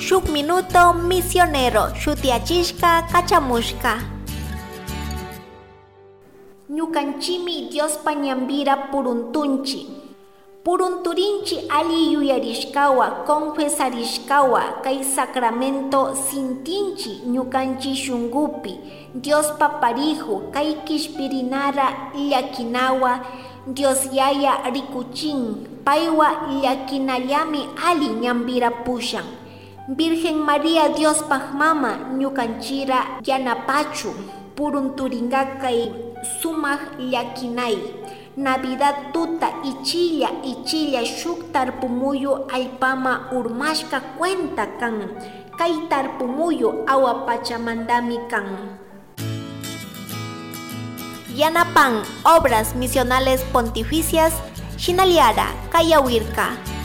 Shuk Minuto Misionero shutiyachishka kachamushka. Ñukanchimi Diospa ñanpira puruntunchi. Purunturinchi alli yuyarishkawa, confesarishkawa, kay sacramento sintinchi ñukanchi shungupi, Diospa pariju kay kishpirinara llakinawa, Dios Yaya rikuchin, paywa llakinallami alli ñanpira pushan. Virgen María Diospaj mama ñukanchira yanapachu, purunturinga kay sumak llakinay. Navidad tuta ichilla ichilla shuk tarpumuyu allpama urmashka cuenta kan. Kay tarpumuyu awa pachamantami kan. Yanapan Obras Misionales Pontificias, Shinaliara, Kayawirka.